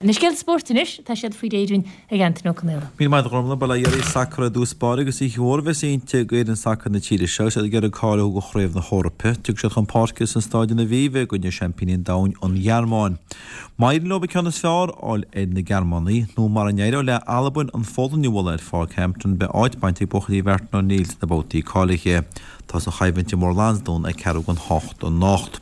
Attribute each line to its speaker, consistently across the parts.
Speaker 1: Na scéalta spóirt anois, tá siad faoi réir dúinn ag Antaine Ó Conaola.
Speaker 2: Míle maith agat a Ghormfhlaith. Bail ó Dhia oraibh. Sacar i dtús báire agus oíche mhór a bheas inti d'fhoireann sacair na tíre seo agus iad ag iarraidh cáiliú do Chraobh na hEorpa. Tiocfaidh siad chun páirce san Stáid in Aviva i gcoinne seaimpíní an domhain, an Ghearmáin. Má éiríonn leo an ceann is fearr a fháil ar na Gearmánaigh, nó mara n-éireoidh le Albain an Pholainn a bhualadh ar Pháirc Hampden, beidh áit bainte ag buachaillí Mhartin O'Neill sna babhtaí cáilithe. Tá an choimhlint i mBóthar Lansdún ag ceathrú don hocht anocht.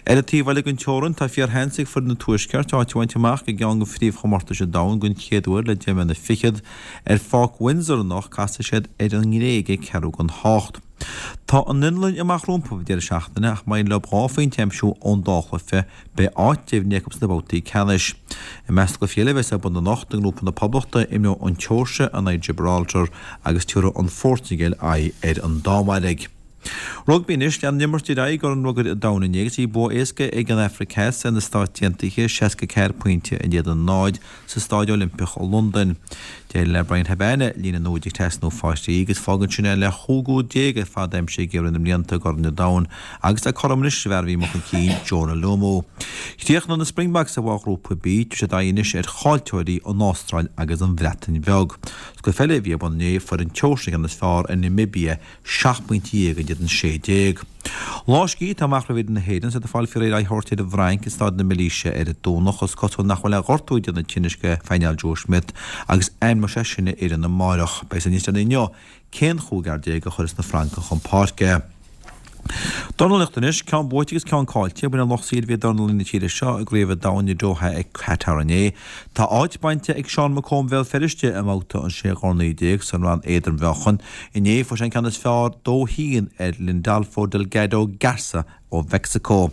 Speaker 2: Ar an taobh eile den teorainn, tá fíorsheans ag foireann an Tuaiscirt áit a bhaint amach i gceann de phríomhchomórtais an domhain den chéad uair le deich mbliana fichead. Ar Pháirc Windsor anocht casfaidh siad ar an nGréig ag ceathrú don hocht. Tá an Fhionlainn amach rompu an deireadh seachtaine ach má éiríonn leo dhá phointe a aimsiú ón dá chluiche, beidh áit deimhnithe acu sna babhtaí ceannais. I measc na gcluichí eile a bheas ar bun anocht, i ngrúpa na Poblachta, imreoidh an tSeoirsia in aghaidh Gibraltar agus tabharfaidh an Phortaingéil aghaidh ar an Danmhairg. Rugbaí anois, lean an imirt ar aghaidh i gCorn Rugair an Domhain inné agus bhí bua éasca ag an Afraic Theas ar na Stáit Aontaithe, 64 pointe in éadan 0, sa Stáid Oilimpeach i Londain. D'éirigh le Bryan Habana líne an úid a thrasnú fá thrí agus fágann sin é le chúig úd déag ar fad aimsithe aige i rith na mblianta i gCorn an Domhain agus tá cothrom anois leis an bhfear a bhí amuigh chun cinn, Jonah Lomu. Chríochnaigh na Springboks i bhfoghrúpa B, tabharfaidh siad aghaidh anois ar chaillteoirí an Astráil agus an Bhreatain Bheag. Sa gcluiche eile a bhí ar bun inné, fuair an tSeoirsia an ceann is fearr ar Namibia, 17 pointe in éadan 16. Lá scíthe atá amach roimh fhoireann na hÉireann, is iad ag fáil faoi réir aghaidh a thabhairt ar an bhFrainc i Staid na Milíse ar an Domhnach. Is cosúil nach bhfuil aon ghortú ag déanamh tinnis do phainéal Joe Schmidt agus ainmneoidh sé sin a fhoireann amárach. Beidh a fhios níos deireanaí inniu cén chúigear a chuirfeas na Francaigh chun páirce. Dornálaíocht anois, ceann buaite agus ceann caillte, bhain an lucht saoil a bhí ag dornálaí na tíre seo i gCraobh an Domhain i Doha i Qatar inné. Tá áit bainte ag Seán McComb Bhéal Feirste i mbabhta an 16 dhorna san rang éadrom-mheáchain. Inné fuair sé an ceann is fearr 2-1 ar Lindolfo Delgado Garza ó Mheicsiceo.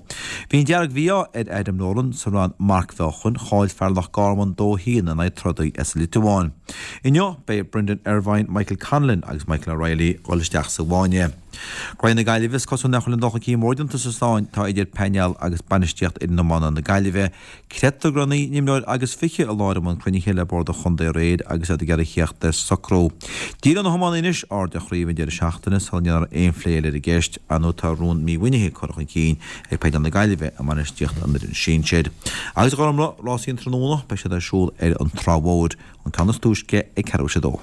Speaker 2: Bhí an dearg-mhí-ádh ar Adam Nolan sa rang marcmheáchain, chaill fear Loch Garman 2-1 in aghaidh trodaí as an Liotuáin. Inniu beidh Brendan Irvine, Michael Conlan agus Michael O'Reilly ag dul isteach sa bhfáinne. Graí na Gaillimhe, Is cosúil nach bhfuil aon dul chun cinn mór déanta sa sáinn atá idir painéal agus bainistíocht fhoireann iomána na Gaillimhe. Creidtear go raibh naoi n-imreoir agus fiche i láthair i mbun cruinnithe le bord an chontae aréir agus iad ag iarraidh theacht ar socrú. Díreoidh na hiománaithe anois aird ar chraobh an deireadh seachtaine sula ndéanfar aon phlé eile ar an gceist. Ar ndóigh tá rún mímhuinithe curtha chun cinn ag painéal na Gaillimhe i mbainistíocht an fhoireann sinsir. Agus a Ghormfhlaith, rásaí an tráthnóna, beidh siad ar siúl ar an Trá Mhóir, an ceann is túisce ag ceathrú théis a dó.